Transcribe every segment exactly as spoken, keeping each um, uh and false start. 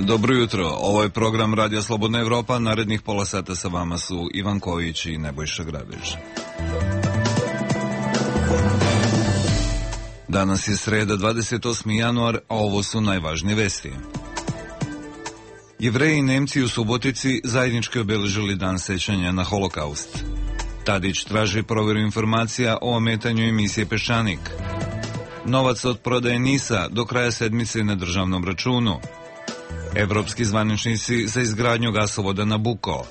Dobro jutro, ovo je program Radija Slobodna Evropa, narednih pola sata sa vama su Ivan Kojić i Nebojša Grabež. Danas je sreda, dvadeset osmi januar, a ovo su najvažnije vesti. Jevreji i Nemci u Subotici zajednički obeležili dan sećanja na Holokaust. Tadić traži provjeru informacija o ometanju emisije Peščanik. Novac od prodaje NIS-a do kraja sedmice na državnom računu. Evropski zvaničnici za izgradnju gasovoda Nabuko.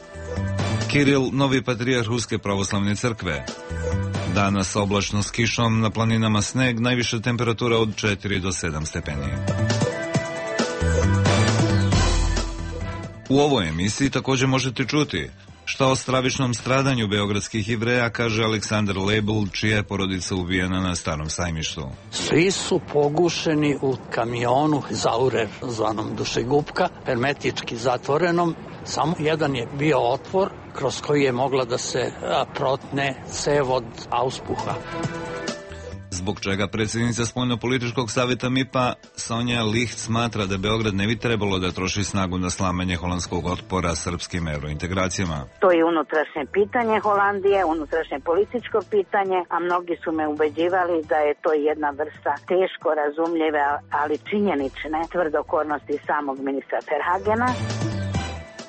Kiril, novi patrijarh Ruske pravoslavne crkve. Danas oblačno s kišom, na planinama sneg, najviša temperatura od četiri do sedam stepeni. U ovoj emisiji također možete čuti šta o stravičnom stradanju beogradskih Jevreja kaže Aleksandar Lebel, čija je porodica ubijena na Starom sajmištu. Svi su pogušeni u kamionu Zaurer, zvanom Dušegupka, hermetički zatvorenom. Samo jedan je bio otvor kroz koji je mogla da se protne cev od auspuha. Zbog čega predsjednica Spoljnopolitičkog savjeta M I P-a Sonja Licht smatra da Beograd ne bi trebalo da troši snagu na slamanje holandskog otpora srpskim eurointegracijama. To je unutrašnje pitanje Holandije, unutrašnje političko pitanje, a mnogi su me ubeđivali da je to jedna vrsta teško razumljive, ali činjenične tvrdokornosti samog ministra Verhagena.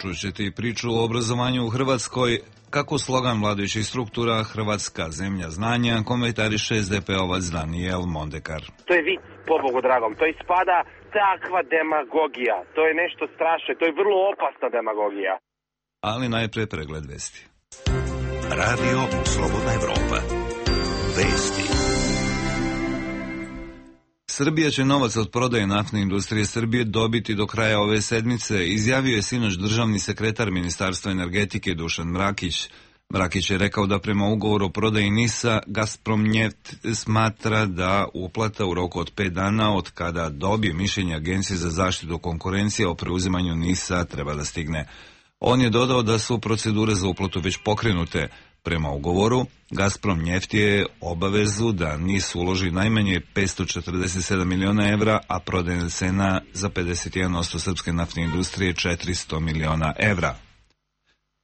Čućete i priču o obrazovanju u Hrvatskoj, kako slogan vladajućih struktura Hrvatska zemlja znanja komentariše es de pe ovac Daniel Mondekar. To je vic, pobogu dragom, to ispada takva demagogija, to je nešto strašno, to je vrlo opasna demagogija. Ali najprije pregled vesti. Radio Slobodna Evropa. Vesti. Srbija će novac od prodaje naftne industrije Srbije dobiti do kraja ove sedmice, izjavio je sinoć državni sekretar Ministarstva energetike Dušan Mrakić. Mrakić je rekao da prema ugovoru o prodaji NIS-a Gazpromneft smatra da uplata u roku od pet dana od kada dobije mišljenje Agencije za zaštitu konkurencije o preuzimanju NIS-a treba da stigne. On je dodao da su procedure za uplatu već pokrenute. Prema ugovoru, Gazpromneft je obavezu da NIS uloži najmanje petsto četrdeset sedam miliona evra, a prodajna cena za pedeset jedan posto srpske naftne industrije je četiristo miliona evra.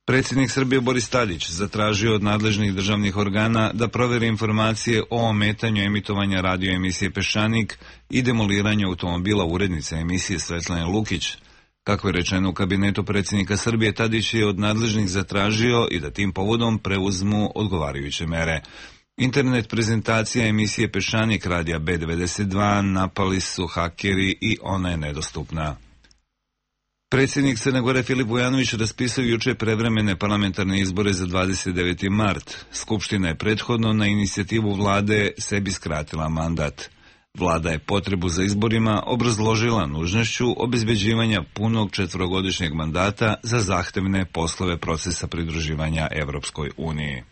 Predsjednik Srbije Boris Tadić zatražio od nadležnih državnih organa da proveri informacije o ometanju emitovanja radio emisije Peščanik i demoliranju automobila urednice emisije Svetlane Lukić. Kako je rečeno u kabinetu predsjednika Srbije, Tadić je od nadležnih zatražio i da tim povodom preuzmu odgovarajuće mere. Internet prezentacija emisije Peščanik radija be devedeset dva napali su hakeri i ona je nedostupna. Predsjednik Crne Gore Filip Vujanović raspisao juče prevremene parlamentarne izbore za dvadeset deveti mart. Skupština je prethodno na inicijativu vlade sebi skratila mandat. Vlada je potrebu za izborima obrazložila nužnošću obezbeđivanja punog četvorogodišnjeg mandata za zahtevne poslove procesa pridruživanja Evropskoj uniji.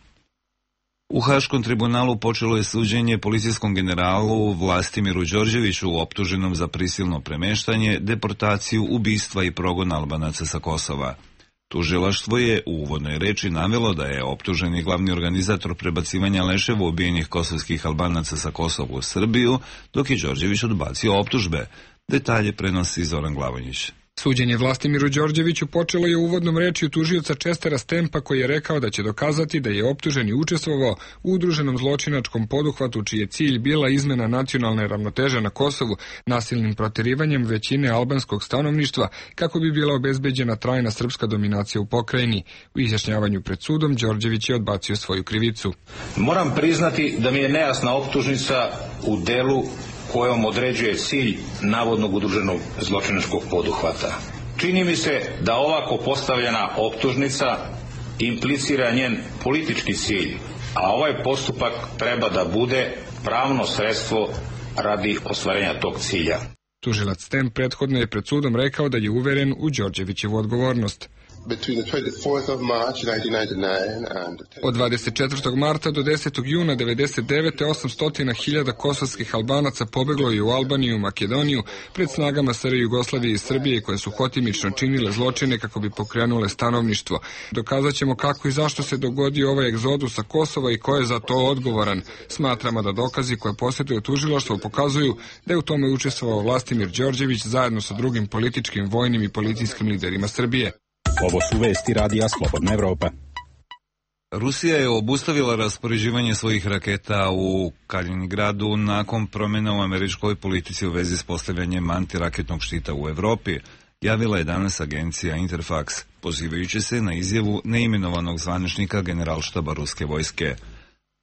U Haškom tribunalu počelo je suđenje policijskom generalu Vlastimiru Đorđeviću optuženom za prisilno premeštanje, deportaciju, ubistva i progon Albanaca sa Kosova. Tužilaštvo je u uvodnoj reči navelo da je optuženi glavni organizator prebacivanja leševa ubijenih kosovskih Albanaca sa Kosova u Srbiju, dok je Đorđević odbacio optužbe. Detalje prenosi Zoran Glavonjić. Suđenje Vlastimiru Đorđeviću počelo je uvodnom rečju tužioca Čestera Stempa, koji je rekao da će dokazati da je optuženi učestvovao u udruženom zločinačkom poduhvatu čiji je cilj bila izmena nacionalne ravnoteže na Kosovu nasilnim proterivanjem većine albanskog stanovništva kako bi bila obezbeđena trajna srpska dominacija u pokrajini. U izjašnjavanju pred sudom Đorđević je odbacio svoju krivicu. Moram priznati da mi je nejasna optužnica u delu kojom određuje cilj navodnog udruženog zločinačkog poduhvata. Čini mi se da ovako postavljena optužnica implicira njen politički cilj, a ovaj postupak treba da bude pravno sredstvo radi ostvarenja tog cilja. Tužilac Stem prethodno je pred sudom rekao da je uveren u Đorđevićevu odgovornost. Od dvadeset četvrtog marta do desetog juna devedeset devete. osamsto hiljada kosovskih Albanaca pobeglo je u Albaniju i Makedoniju pred snagama S R Jugoslavije i Srbije koje su hotimično činile zločine kako bi pokrenule stanovništvo. Dokazat ćemo kako i zašto se dogodio ovaj egzodus sa Kosova i ko je za to odgovoran. Smatramo da dokazi koje posjeduje tužilaštvo pokazuju da je u tome učestvovao Vlastimir Đorđević zajedno sa drugim političkim, vojnim i policijskim liderima Srbije. Ovo su vesti radija Slobodna Evropa. Rusija je obustavila raspoređivanje svojih raketa u Kaliningradu nakon promjena u američkoj politici u vezi s postavljanjem antiraketnog štita u Evropi, javila je danas agencija Interfax, pozivajući se na izjavu neimenovanog zvaničnika generalštaba ruske vojske.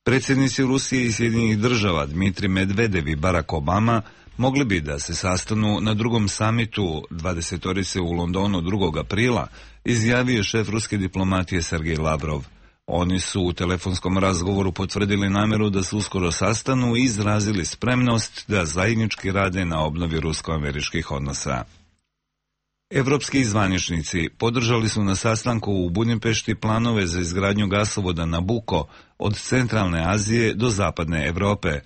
Predsjednici Rusije i Sjedinjenih država Dmitri Medvedev i Barack Obama mogli bi da se sastanu na drugom samitu dvadesetorice u Londonu drugog aprila, izjavio šef ruske diplomatije Sergej Lavrov. Oni su u telefonskom razgovoru potvrdili namjeru da se uskoro sastanu i izrazili spremnost da zajednički rade na obnovi rusko-američkih odnosa. Evropski zvaničnici podržali su na sastanku u Budimpešti planove za izgradnju gasovoda Nabucco od centralne Azije do zapadne Evrope.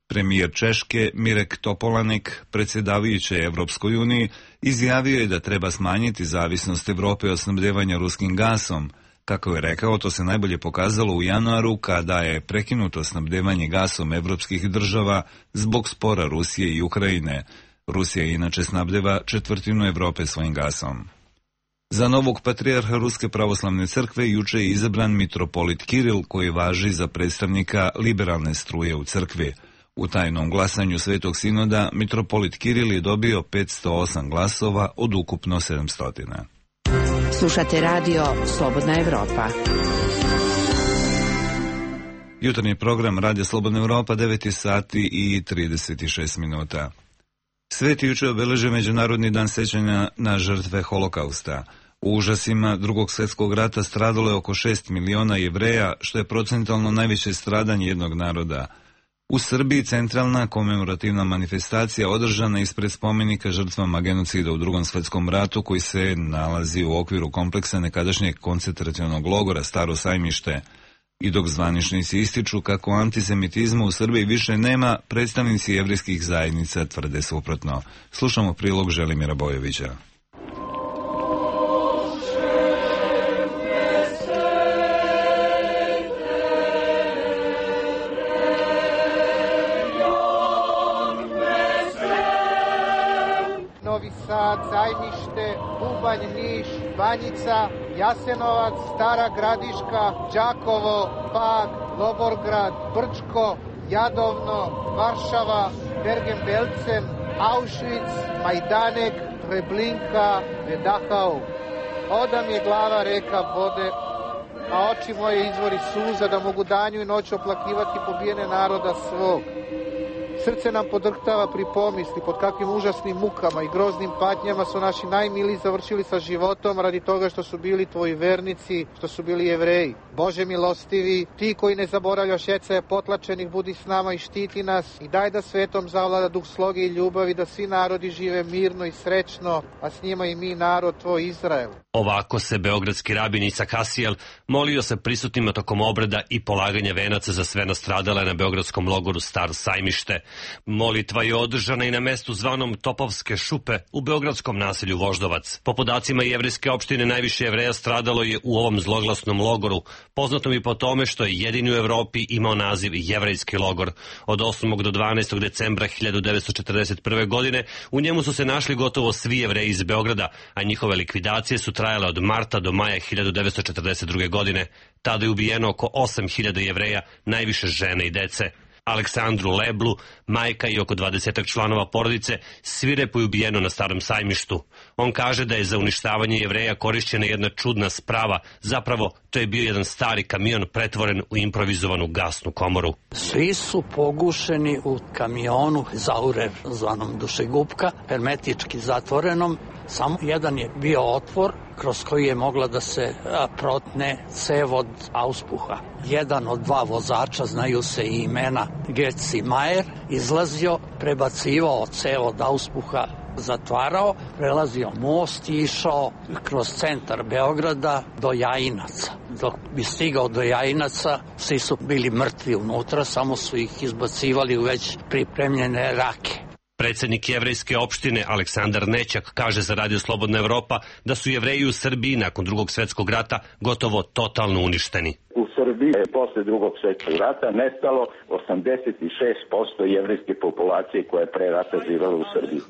Premijer Češke Mirek Topolanek, predsjedavajući Evropskoj uniji, izjavio je da treba smanjiti zavisnost Evrope od snabdevanja ruskim gasom. Kako je rekao, to se najbolje pokazalo u januaru kada je prekinuto snabdevanje gasom evropskih država zbog spora Rusije i Ukrajine. Rusija inače snabdeva četvrtinu Evrope svojim gasom. Za novog patrijarha Ruske pravoslavne crkve juče je izabran mitropolit Kiril, koji važi za predstavnika liberalne struje u crkvi. U tajnom glasanju Svetog sinoda mitropolit Kiril je dobio petsto osam glasova od ukupno sedamsto. Slušate radio Slobodna Evropa. Jutarnji program Radio Slobodna Evropa, devet sati i trideset šest minuta. Svet je juče obeležio Međunarodni dan sećanja na žrtve Holokausta. U užasima Drugog svjetskog rata stradalo je oko šest miliona Jevreja, što je procentalno najveće stradanje jednog naroda. U Srbiji centralna komemorativna manifestacija održana ispred spomenika žrtvama genocida u Drugom svjetskom ratu, koji se nalazi u okviru kompleksa nekadašnjeg koncentracionog logora Staro Sajmište. I dok zvaničnici ističu kako antisemitizma u Srbiji više nema, predstavnici jevrijskih zajednica tvrde suprotno. Slušamo prilog Želimira Bojovića. Novi Sad, Sajmište, Bubanj, Niš, Banjica, Jasenovac, Stara Gradiška, Đakovo, Pag, Logorgrad, Brčko, Jadovno, Varšava, Bergen-Belsen, Auschwitz, Majdanek, Treblinka, Dachau. Odam je glava reka vode, a oči moje izvori suza, da mogu danju i noću oplakivati pobijene naroda svog. Srce nam podrhtava pri pomisli pod kakvim užasnim mukama i groznim patnjama su naši najmiliji završili sa životom radi toga što su bili tvoji vernici, što su bili Jevreji. Bože milostivi, ti koji ne zaboravljaš jecaje potlačenih, budi s nama i štiti nas i daj da svetom zavlada duh sloge i ljubavi, da svi narodi žive mirno i srećno, a s njima i mi narod tvoj Izrael. Ovako se beogradski rabin Isak Asijel molio se prisutnima tokom obreda i polaganja venaca za sve nastradale na beogradskom logoru Staro Sajmište. Molitva je održana i na mestu zvanom Topovske šupe u beogradskom naselju Voždovac. Po podacima jevrijske opštine najviše Jevreja stradalo je u ovom zloglasnom logoru, poznatom i po tome što je jedini u Evropi imao naziv Jevrejski logor. Od osmog do dvanaestog decembra hiljadu devetsto četrdeset prve. godine u njemu su se našli gotovo svi Jevreji iz Beograda, a njihove likvidacije su trajale od marta do maja hiljadu devetsto četrdeset druge. godine. Tada je ubijeno oko osam hiljada Jevreja, najviše žene i dece. Aleksandru Leblu, majka i oko dvadesetak članova porodice, svirepo je ubijeno na Starom Sajmištu. On kaže da je za uništavanje Jevreja korišćena jedna čudna sprava, zapravo to je bio jedan stari kamion pretvoren u improvizovanu gasnu komoru. Svi su pogušeni u kamionu Zaurer, zvanom dušegupka, hermetički zatvorenom. Samo jedan je bio otvor kroz koji je mogla da se protne cev od auspuha. Jedan od dva vozača, znaju se i imena, Getz i Majer, izlazio, prebacivao cev od auspuha zatvarao, prelazio most i išao kroz centar Beograda do Jajinaca. Dok bi stigao do Jajinaca, svi su bili mrtvi unutra, samo su ih izbacivali u već pripremljene rake. Predsednik jevrejske opštine Aleksandar Nećak kaže za Radio Slobodna Evropa da su Jevreji u Srbiji nakon drugog svetskog rata gotovo totalno uništeni. U Srbiji je posle drugog svetskog rata nestalo osamdeset šest posto jevrejske populacije koja je pre rata živela u Srbiji.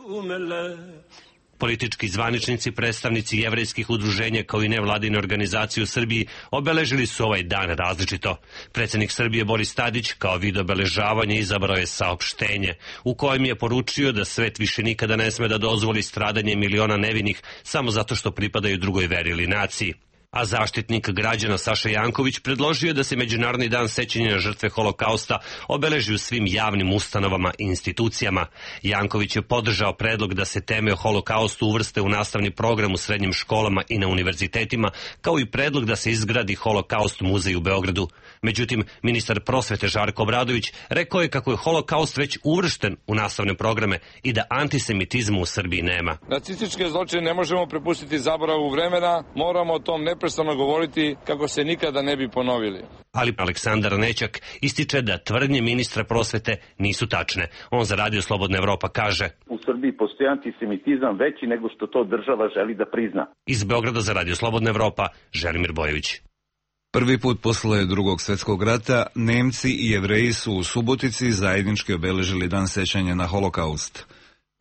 Politički zvaničnici, predstavnici jevrejskih udruženja kao i nevladine organizacije u Srbiji obeležili su ovaj dan različito. Predsednik Srbije Boris Tadić kao vid obeležavanja izabrao je saopštenje u kojem je poručio da svet više nikada ne sme da dozvoli stradanje miliona nevinih samo zato što pripadaju drugoj veri ili naciji. A zaštitnik građana Saša Janković predložio je da se Međunarodni dan sećanja na žrtve Holokausta obeleži u svim javnim ustanovama i institucijama. Janković je podržao predlog da se teme o Holokaustu uvrste u nastavni program u srednjim školama i na univerzitetima, kao i predlog da se izgradi Holokaust muzej u Beogradu. Međutim, ministar prosvete Žarko Obradović rekao je kako je Holokaust već uvršten u nastavne programe i da antisemitizmu u Srbiji nema. Nacističke zločine ne možemo prepustiti zaboravu vremena, moramo o tom neprestano govoriti kako se nikada ne bi ponovili. Ali Aleksandar Nećak ističe da tvrdnje ministra prosvete nisu tačne. On za Radio Slobodna Evropa kaže: U Srbiji postoji antisemitizam veći nego što to država želi da prizna. Iz Beograda za Radio Slobodna Evropa, Želimir Bojović. Prvi put posle drugog svetskog rata Nemci i Jevreji su u Subotici zajednički obeležili dan sećanja na Holokaust.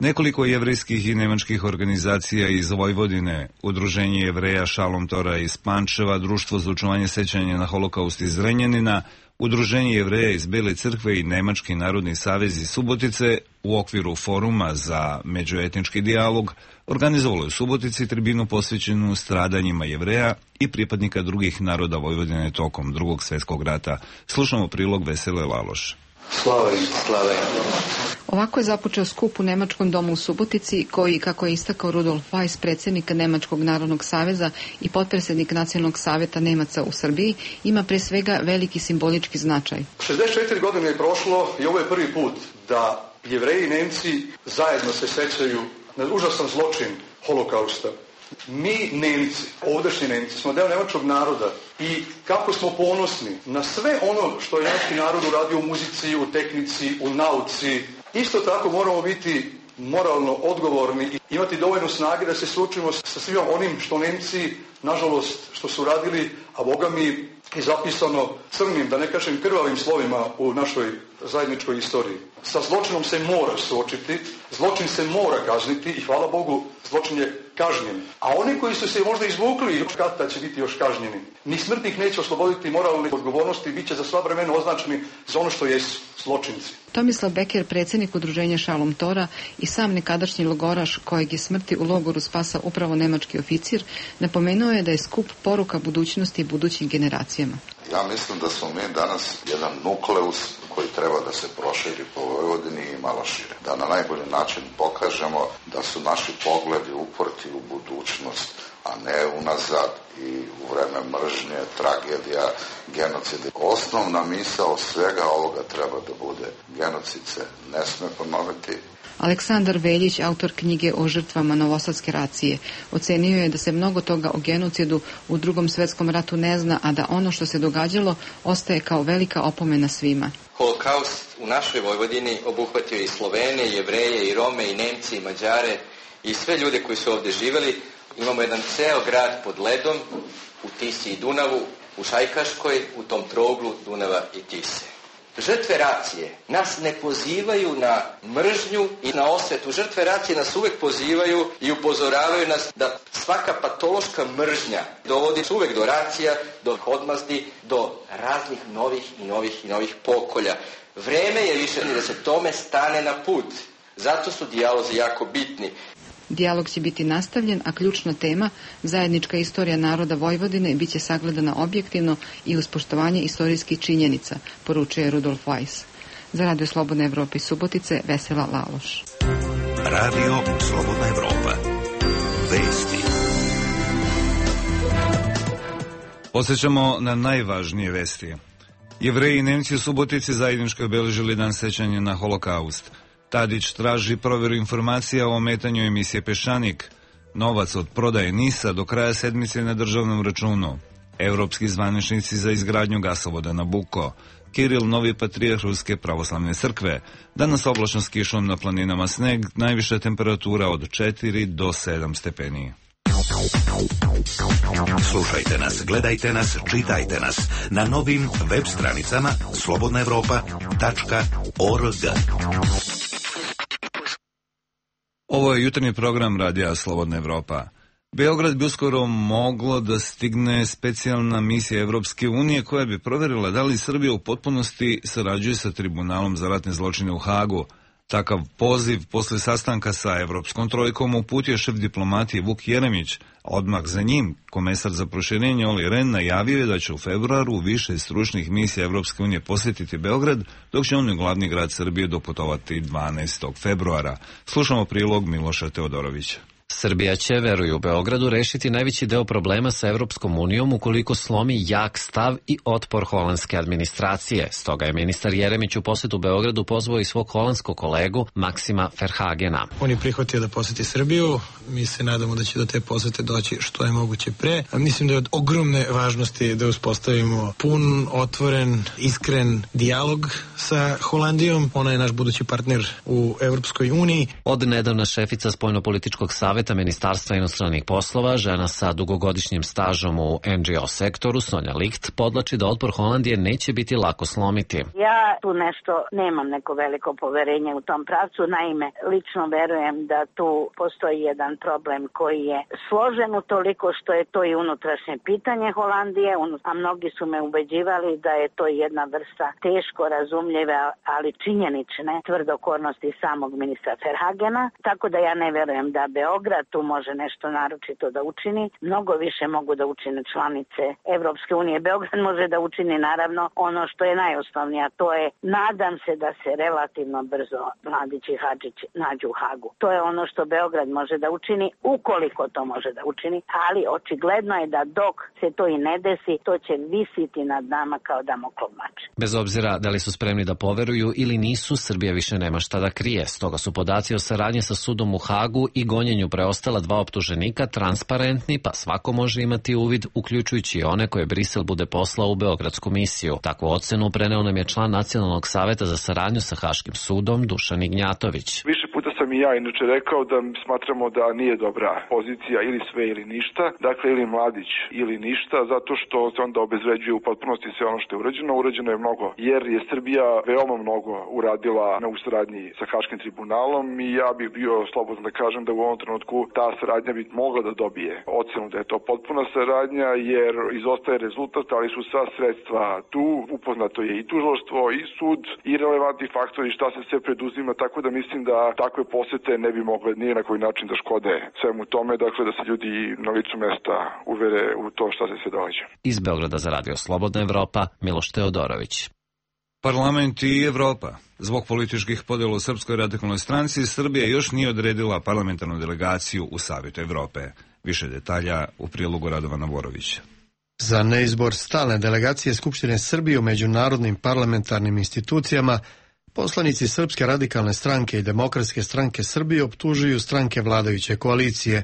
Nekoliko jevrejskih i nemačkih organizacija iz Vojvodine, Udruženje Jevreja Šalom Tora iz Pančeva, Društvo za očuvanje sećanja na Holokaust iz Zrenjanina, Udruženje Jevreja iz Bele crkve i Nemački narodni savez iz Subotice u okviru foruma za međuetnički dijalog organizovalo je u Subotici tribinu posvećenu stradanjima Jevreja i pripadnika drugih naroda Vojvodine tokom drugog svetskog rata. Slušamo prilog Vesele Laloš. Slava im, slava im. Ovako je započeo skup u Nemačkom domu u Subotici, koji, kako je istakao Rudolf Weiss, predsjednik Nemačkog narodnog saveza i potpredsjednik Nacionalnog savjeta Nemaca u Srbiji, ima pre svega veliki simbolički značaj. šezdeset četiri godine je prošlo i ovo je prvi put da Jevreji i Nemci zajedno se sećaju na užasan zločin Holokausta. Mi Nemci, ovdašnji Nemci, smo deo nemačkog naroda i kako smo ponosni na sve ono što je nemački narod uradio u muzici, u tehnici, u nauci. Isto tako moramo biti moralno odgovorni i imati dovoljno snage da se suočimo sa svim onim što Nemci, nažalost, što su radili, a Boga mi je zapisano crnim, da ne kažem krvavim slovima u našoj zajedničkoj istoriji. Sa zločinom se mora suočiti, zločin se mora kazniti i hvala Bogu, zločin je kažnjen. A oni koji su se možda izvukli još kada će biti još kažnjeni. Ni smrtnih neće osloboditi moralne odgovornosti i bit će za sva vremena označeni za ono što jesu zločinci. Tomislav Beker, predsjednik udruženja Šalom Tora i sam nekadašnji logoraš kojeg je smrti u logoru spasao upravo nemački oficir, napomenuo je da je skup poruka budućnosti i budućim generacijama. Ja mislim da smo mi danas jedan nukleus koji treba da se proširi po Vojvodini i malo šire. Da na najbolji način pokažemo da su naši pogledi uprti u budućnost, a ne unazad i u vreme mržnje, tragedija, genocida. Osnovna misao svega ovoga treba da bude: genocid se ne sme ponoviti. Aleksandar Veljić, autor knjige o žrtvama Novosadske racije, ocenio je da se mnogo toga o genocidu u drugom svetskom ratu ne zna, a da ono što se događalo ostaje kao velika opomena svima. Holokaust u našoj Vojvodini obuhvatio i Slovene, i Jevreje, i Rome, i Nemci, i Mađare, i sve ljude koji su ovdje živjeli. Imamo jedan ceo grad pod ledom, u Tisi i Dunavu, u Šajkaškoj, u tom trouglu Dunava i Tise. Žrtve racije nas ne pozivaju na mržnju i na osvetu. Žrtve racije nas uvek pozivaju i upozoravaju nas da svaka patološka mržnja dovodi uvek do racija, do odmazdi, do raznih novih i novih i novih pokolja. Vreme je više da se tome stane na put. Zato su dijalozi jako bitni. Dijalog će biti nastavljen, a ključna tema, zajednička istorija naroda Vojvodine, bit će sagledana objektivno i uz poštovanje istorijskih činjenica, poručuje Rudolf Weiss. Za Radio Slobodna Evropa iz Subotice, Vesela Laloš. Radio Slobodna Evropa. Vesti. Posjećamo na najvažnije vesti. Jevreji i Nemci u Subotici zajednički obeležili dan sećanja na Holokaust. Tadić traži provjeru informacija o ometanju emisije Peščanik. Novac od prodaje NIS-a do kraja sedmice na državnom računu. Evropski zvaničnici za izgradnju gasovoda Nabucco. Kiril, novi patrijarh Ruske pravoslavne crkve. Danas oblačno s kišom, na planinama sneg, najviša temperatura od četiri do sedam stepeni. Slušajte nas, gledajte nas, čitajte nas na novim web stranicama slobodna evropa tačka org. Ovo je jutarnji program Radija Slobodna Evropa. Beograd bi uskoro moglo da stigne specijalna misija Evropske unije koja bi provjerila da li Srbija u potpunosti sarađuje sa Tribunalom za ratne zločine u Hagu. Takav poziv posle sastanka sa Evropskom trojkom uputio šef diplomatije Vuk Jeremić, a odmah za njim komesar za proširenje Olli Rehn najavio je da će u februaru više stručnih misija Evropske unije posjetiti Beograd, dok će on u glavni grad Srbije doputovati dvanaestog februara. Slušamo prilog Miloša Teodorovića. Srbija će, veruju u Beogradu, rešiti najveći deo problema sa Evropskom unijom ukoliko slomi jak stav i otpor holandske administracije. Stoga je ministar Jeremić u posetu Beogradu pozvao i svog holandskog kolegu Maksima Verhagena. On je prihvatio da poseti Srbiju. Mi se nadamo da će do te posete doći što je moguće pre. A mislim da je od ogromne važnosti da uspostavimo pun, otvoren, iskren dijalog sa Holandijom. Ona je naš budući partner u Evropskoj uniji. Od nedavna šefica spoljnopolitičkog saveta Ministarstva inostranih poslova, žena sa dugogodišnjim stažom u en dži o sektoru, Sonja Licht, podlači da otpor Holandije neće biti lako slomiti. Ja tu nešto nemam neko veliko poverenje u tom pravcu, naime, lično verujem da tu postoji jedan problem koji je složen u toliko što je to i unutrašnje pitanje Holandije, a mnogi su me ubeđivali da je to jedna vrsta teško razumljive, ali činjenične tvrdokornosti samog ministra Verhagena, tako da ja ne verujem da Beograd tu može nešto naročito da učini. Mnogo više mogu da učine članice Evropske unije. Beograd može da učini naravno ono što je najosnovnije, a to je, nadam se da se relativno brzo Mladić i Hadžić nađu u Hagu. To je ono što Beograd može da učini, ukoliko to može da učini, ali očigledno je da dok se to i ne desi, to će visiti nad nama kao Damoklov mač. Bez obzira da li su spremni da poveruju ili nisu, Srbija više nema šta da krije. Stoga su podaci o saradnji sa sudom u Hagu i gonjenju preostala dva optuženika transparentni, pa svako može imati uvid, uključujući i one koje Brisel bude poslao u beogradsku misiju. Takvu ocenu preneo nam je član Nacionalnog saveta za saradnju sa Haškim sudom Dušan Ignjatović. Više puta sam i ja inače rekao da smatramo da nije dobra pozicija ili sve ili ništa, dakle ili Mladić ili ništa, zato što se onda obezvređuje u potpunosti sve ono što je urađeno. Urađeno je mnogo, jer je Srbija veoma mnogo uradila na u saradnji sa Haškim tribunalom i ja bih bio slobodan da kažem da u ovom trenutku ta saradnja bi mogla da dobije ocenu da je to potpuna saradnja, jer izostaje rezultat, ali su sva sredstva tu, upoznato je i tužilaštvo i sud i relevantni faktori šta se sve preduzima, tako da mislim da takve posete ne bi mogle ni na koji način da škode svemu tome, dakle da se ljudi na licu mesta uvere u to šta se sve događa. Iz Beograda za Radio Slobodna Evropa, Miloš Teodorović. Parlament i Evropa. Zbog političkih podjela u Srpskoj radikalnoj stranci, Srbija još nije odredila parlamentarnu delegaciju u Savetu Evrope. Više detalja u prilogu Radovana Borovića. Za neizbor stalne delegacije Skupštine Srbije u međunarodnim parlamentarnim institucijama, poslanici Srpske radikalne stranke i Demokratske stranke Srbije optužuju stranke vladajuće koalicije.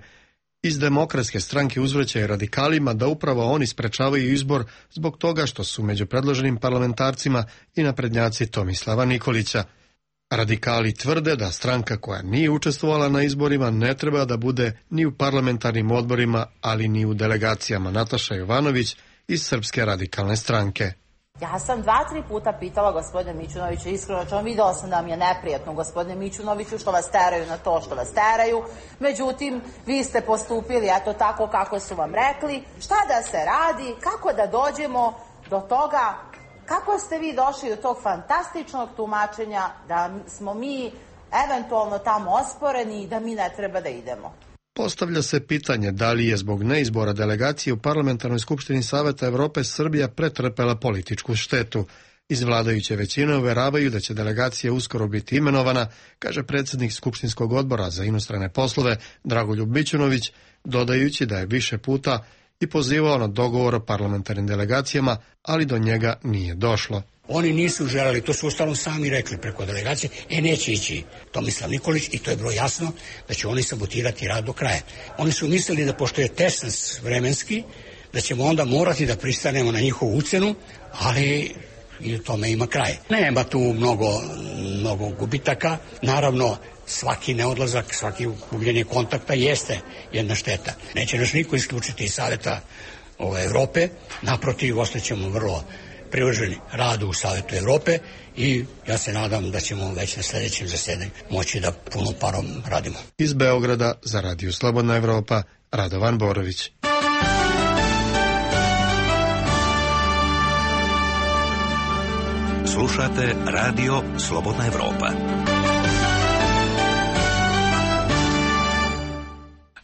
Iz Demokratske stranke uzvraćaju radikalima da upravo oni sprečavaju izbor zbog toga što su među predloženim parlamentarcima i naprednjaci Tomislava Nikolića. Radikali tvrde da stranka koja nije učestvovala na izborima ne treba da bude ni u parlamentarnim odborima, ali ni u delegacijama. Nataša Jovanović iz Srpske radikalne stranke. Ja sam dva, tri puta pitala gospodine Mićunoviću, iskreno čom, videla sam da mi je neprijatno gospodine Mićunoviću što vas teraju na to što vas teraju, međutim vi ste postupili eto tako kako su vam rekli, šta da se radi, kako da dođemo do toga, kako ste vi došli do tog fantastičnog tumačenja da smo mi eventualno tamo osporeni i da mi ne treba da idemo. Postavlja se pitanje da li je zbog neizbora delegacije u Parlamentarnoj skupštini Saveta Evrope Srbija pretrpela političku štetu. Iz vladajuće većine uveravaju da će delegacija uskoro biti imenovana, kaže predsjednik Skupštinskog odbora za inostrane poslove Dragoljub Mićunović, dodajući da je više puta i pozivao na dogovor o parlamentarnim delegacijama, ali do njega nije došlo. Oni nisu želeli, to su ustalom sami rekli preko delegacije, e neće ići Tomislav Nikolić i to je bilo jasno da će oni sabotirati rad do kraja. Oni su mislili da pošto je tesnac vremenski, da ćemo onda morati da pristanemo na njihovu ucenu, ali i u tome ima kraj. Nema tu mnogo, mnogo gubitaka, naravno svaki neodlazak, svaki gubljenje kontakta jeste jedna šteta. Neće nas niko isključiti iz Saveta ove, Evrope, naprotiv, ostaćemo vrlo privrženi radu u Savetu Evrope i ja se nadam da ćemo već na sljedećem zasedanju moći da punom parom radimo. Iz Beograda za Radio Slobodna Evropa, Radovan Borović. Slušate Radio Slobodna Evropa.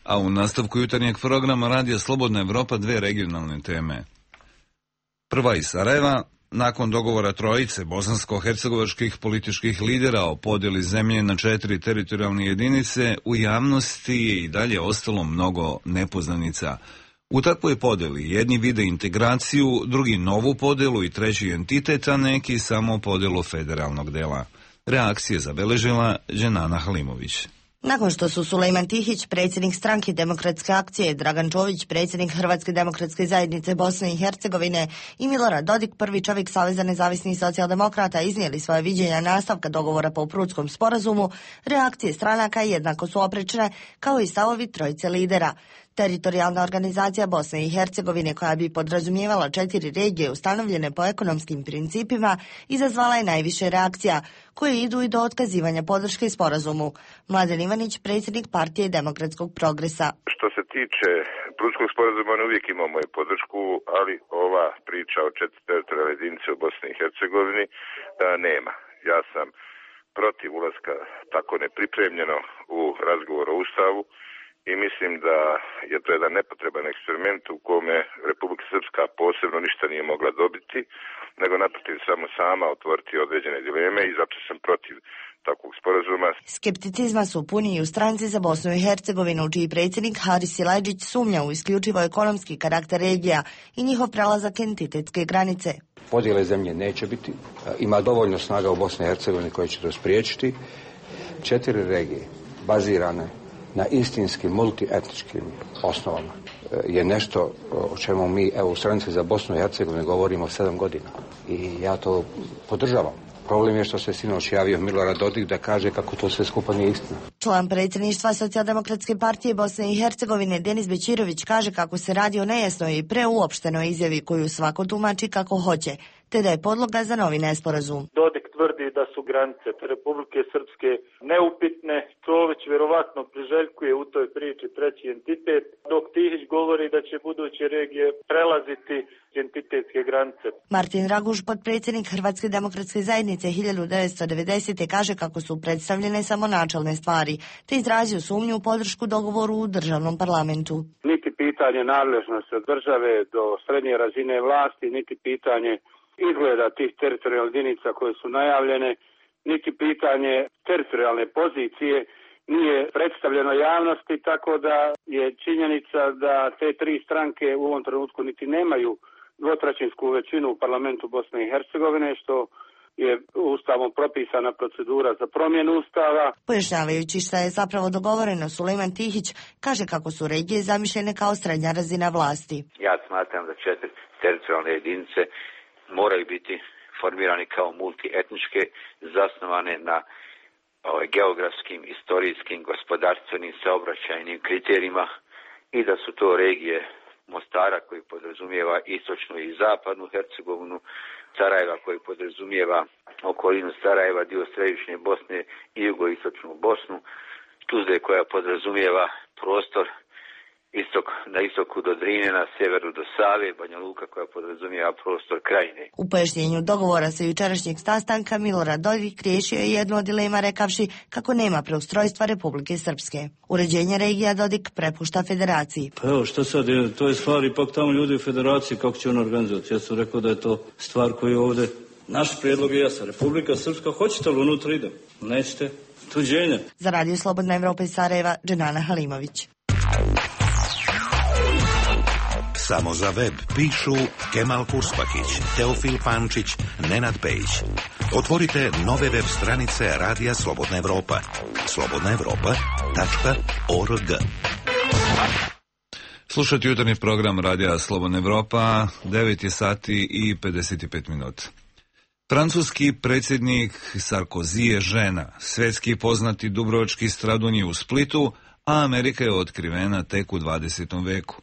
A u nastavku jutarnjeg programa Radio Slobodna Evropa dve regionalne teme. Prva iz Sarajeva, nakon dogovora trojice bosansko-hercegovačkih političkih lidera o podjeli zemlje na četiri teritorijalne jedinice, u javnosti je i dalje ostalo mnogo nepoznanica. U takvoj podjeli jedni vide integraciju, drugi novu podjelu i treći entitet, a neki samo podjelu federalnog dela. Reakcije zabeležila Dženana Halimović. Nakon što su Sulejman Tihić, predsjednik stranke Demokratske akcije, Dragan Čović, predsjednik Hrvatske demokratske zajednice Bosne i Hercegovine i Milorad Dodik, prvi čovjek Saveza nezavisnih socijaldemokrata, iznijeli svoje viđenja nastavka dogovora po Prutskom sporazumu, reakcije stranaka jednako su oprečne, kao i stavovi trojice lidera. Teritorijalna organizacija Bosne i Hercegovine, koja bi podrazumijevala četiri regije ustanovljene po ekonomskim principima, izazvala je najviše reakcija, koje idu i do otkazivanja podrške sporazumu. Mladen Ivanić, predsjednik partije Demokratskog progresa. Što se tiče Prutskog sporazuma, on uvijek imao moju podršku, ali ova priča o četiri teritorijalne jedinice u Bosni i Hercegovini da nema. Ja sam protiv ulaska tako nepripremljeno u razgovor o Ustavu, i mislim da je to jedan nepotreban eksperiment u kome Republika Srpska posebno ništa nije mogla dobiti, nego naprotiv samo sama otvoriti određene dileme i zato sam protiv takvog sporazuma. Skepticizma su puni i u stranci za Bosnu i Hercegovinu, čiji predsjednik Haris Silajdžić sumnja u isključivo ekonomski karakter regija i njihov prelazak entitetske granice. Podjele zemlje neće biti, ima dovoljno snaga u Bosni i Hercegovini koje će to spriječiti. Četiri regije bazirane na istinskim multietničkim osnovama je nešto o čemu mi evo, u stranici za Bosnu i Hercegovinu govorimo sedam godina. I ja to podržavam. Problem je što se sinoć javio Milorad Dodik da kaže kako to sve skupa nije istina. Član predsjedništva Socijaldemokratske partije Bosne i Hercegovine Denis Bećirović kaže kako se radi o nejasnoj i preuopštenoj izjavi koju svako tumači kako hoće, te da je podloga za novi nesporazum. Dodik tvrdi da su granice Republike Srpske neupitne, Čović vjerovatno priželjkuje u toj priči treći entitet, dok Tihić govori da će buduće regije prelaziti entitetske granice. Martin Raguž, potpredsjednik Hrvatske demokratske zajednice hiljadu devetsto devedesete. kaže kako su predstavljene samo načelne stvari, te izrazio sumnju u podršku dogovoru u državnom parlamentu. Niti pitanje nadležnosti od države do srednje razine vlasti, niti pitanje izgleda tih teritorijalnih jedinica koje su najavljene, niti pitanje teritorijalne pozicije nije predstavljeno javnosti, tako da je činjenica da te tri stranke u ovom trenutku niti nemaju dvotrećinsku većinu u parlamentu Bosne i Hercegovine, što je ustavom propisana procedura za promjenu ustava. Pojašnjavajući šta je zapravo dogovoreno, Sulejman Tihić kaže kako su regije zamišljene kao srednja razina vlasti. Ja smatram da četiri teritorijalne jedinice moraju biti formirani kao multietničke, zasnovane na ovaj, geografskim, istorijskim, gospodarstvenim, saobraćajnim kriterijima i da su to regije Mostara koji podrazumijeva istočnu i zapadnu Hercegovinu, Sarajeva koji podrazumijeva okolinu Sarajeva, dio središnje Bosne i jugoistočnu Bosnu, Tuzle koja podrazumijeva prostor istok, na istoku do Drine, na sjeveru do Save, Banja Luka koja podrazumijeva prostor Krajine. U pojašnjenju dogovora sa jučerašnjeg sastanka Milorad Dodik riješio je jednu od dilema rekavši kako nema preustrojstva Republike Srpske. Uređenje regija Dodik prepušta federaciji. Pa evo, što sad je, to je stvar ipak tamo ljudi u federaciji kako će on organizovati. Ja sam rekao da je to stvar koju ovdje, naš prijedlog je jasan. Republika Srpska, hoćete li unutra idem? Nećete? Tuđenje. Za Radio Slobodna Evropa iz Sarajeva, Dženana Halimović. Samo za web pišu Kemal Kurspakić, Teofil Pančić, Nenad Pejić. Otvorite nove web stranice Radija Slobodna Evropa. slobodna evropa tačka org. Slušajte jutarnji program Radija Slobodna Evropa, devet je sati i pedeset pet minuta. Francuski predsjednik Sarkozy je žena, svetski poznati dubrovački stradun je u Splitu, a Amerika je otkrivena tek u dvadesetom veku.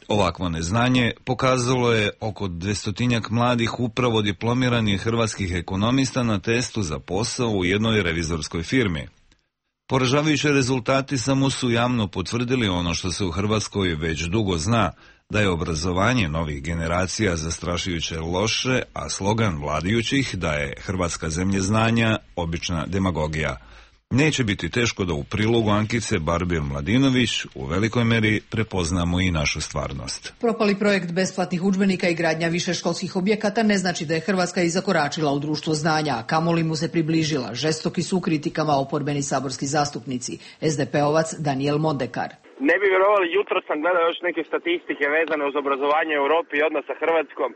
Ovakvo neznanje pokazalo je oko dvestotinjak mladih upravo diplomiranih hrvatskih ekonomista na testu za posao u jednoj revizorskoj firmi. Poražavajući rezultati samo su javno potvrdili ono što se u Hrvatskoj već dugo zna, da je obrazovanje novih generacija zastrašujuće loše, a slogan vladajućih da je Hrvatska zemlja znanja obična demagogija. Neće biti teško da u prilogu Ankice Barbir-Mladinović u velikoj meri prepoznamo i našu stvarnost. Propali projekt besplatnih udžbenika i gradnja višeškolskih objekata ne znači da je Hrvatska i zakoračila u društvo znanja, a kamoli mu se približila. Žestoki su u kritikama oporbeni saborski zastupnici. es de pe-ovac Daniel Mondekar. Ne bi vjerovali, jutro sam gledao još neke statistike vezane uz obrazovanje u Europi i odnos sa Hrvatskom.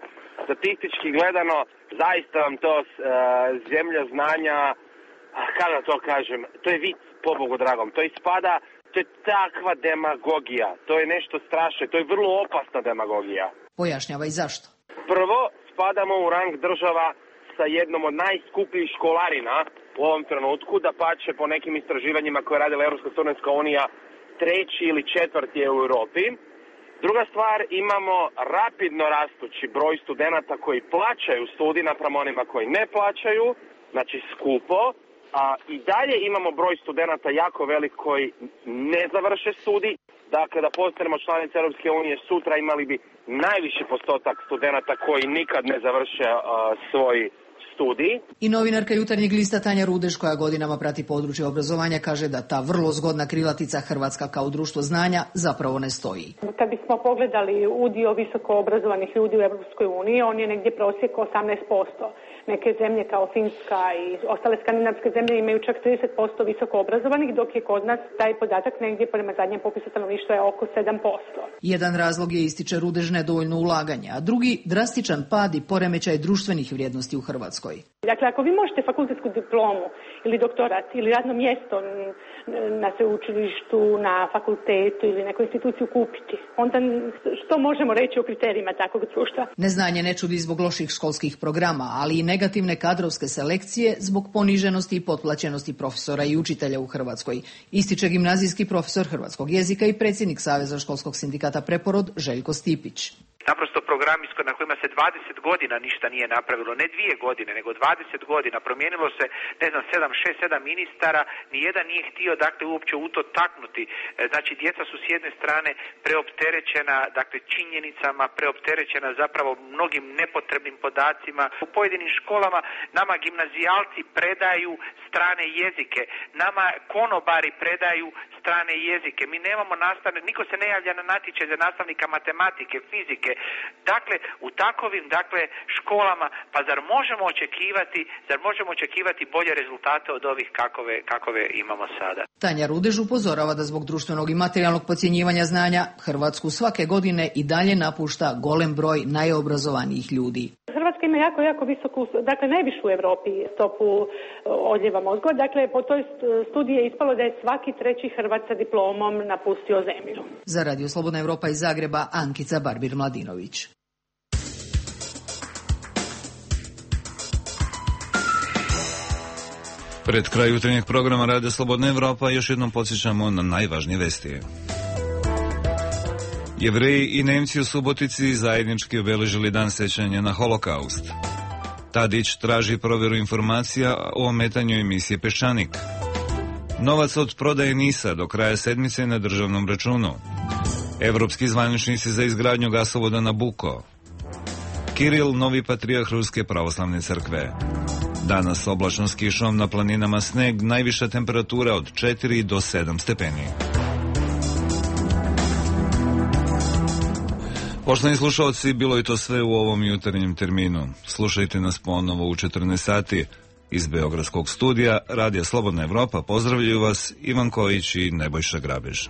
Statistički gledano, zaista vam to uh, zemlja znanja, kada to kažem, to je vic, pobogu dragom, to ispada, to je takva demagogija, to je nešto strašno, to je vrlo opasna demagogija. Pojašnjava i zašto. Prvo, spadamo u rang država sa jednom od najskupljih školarina u ovom trenutku, da pače po nekim istraživanjima koje je radila Europska studentska unija, treći ili četvrti je u Europi. Druga stvar, imamo rapidno rastući broj studenata koji plaćaju studij naprema onima koji ne plaćaju, znači skupo, a i dalje imamo broj studenata jako velik koji ne završe studij. Dakle, da postanemo članice Europske unije, sutra imali bi najviši postotak studenata koji nikad ne završe uh, svoj studij. I novinarka Jutarnjeg lista Tanja Rudež, koja godinama prati područje obrazovanja, kaže da ta vrlo zgodna krilatica Hrvatska kao društvo znanja zapravo ne stoji. Kad bismo pogledali udio visoko obrazovanih ljudi u Europskoj uniji, on je negdje prosjek osamnaest posto. Neke zemlje kao Finska i ostale skandinavske zemlje imaju čak trideset posto visoko obrazovanih, dok je kod nas taj podatak negdje prema zadnjem popisu stanovništva je oko sedam posto. Jedan razlog je, ističe Rudež, nedovoljno ulaganja, a drugi drastičan pad i poremećaj društvenih vrijednosti u Hrvatskoj. Dakle, ako vi možete fakultetsku diplomu ili doktorat ili radno mjesto na sveučilištu, na fakultetu ili nekoj instituciju kupiti, onda što možemo reći o kriterijima takvog društva? Neznanje ne čudi zbog loših školskih programa, ali i negativne kadrovske selekcije zbog poniženosti i potplaćenosti profesora i učitelja u Hrvatskoj, ističe gimnazijski profesor hrvatskog jezika i predsjednik Saveza školskog sindikata Preporod Željko Stipić. Naprosto programi na kojima se dvadeset godina ništa nije napravilo, ne dvije godine, nego dvadeset godina. Promijenilo se, ne znam, sedam, šest, sedam ministara, nijedan nije htio, dakle, uopće u to taknuti. Znači, djeca su s jedne strane preopterećena, dakle, činjenicama, preopterećena zapravo mnogim nepotrebnim podacima. U pojedinim školama nama gimnazijalci predaju strane jezike, nama konobari predaju strane jezike. Mi nemamo nastavne, niko se ne javlja na natječaj za nastavnika matematike, fizike. Dakle, u takovim, dakle, školama, pa zar možemo očekivati, zar možemo očekivati bolje rezultate od ovih kakove, kakove imamo sada? Tanja Rudež upozorava da zbog društvenog i materijalnog podcjenjivanja znanja Hrvatsku svake godine i dalje napušta golem broj najobrazovanijih ljudi. Hrvatska ima jako, jako visoku, dakle najvišu u Europi stopu odljeva mozgova. Dakle, po toj studiji je ispalo da je svaki treći Hrvat sa diplomom napustio zemlju. Za Radio Slobodna Evropa iz Zagreba, Ankica Barbir-Mladinović. Pred kraj jutarnjeg programa Radio Slobodna Evropa još jednom podsjećamo na najvažnije vesti. Jevreji i Nemci u Subotici zajednički obeležili dan sećanja na Holokaust. Tadić traži provjeru informacija o ometanju emisije Peščanik. Novac od prodaje NIS-a do kraja sedmice na državnom računu. Evropski zvaničnici za izgradnju gasovoda Nabucco. Kiril, novi patrijarh Ruske pravoslavne crkve. Danas oblačno s kišom, na planinama sneg, najviša temperatura od četiri do sedam stepeni. Poštovani slušalci, bilo je to sve u ovom jutarnjem terminu. Slušajte nas ponovo u četrnaest sati. Iz Beogradskog studija Radija Slobodna Evropa pozdravljaju vas Ivan Kojić i Nebojša Grabež.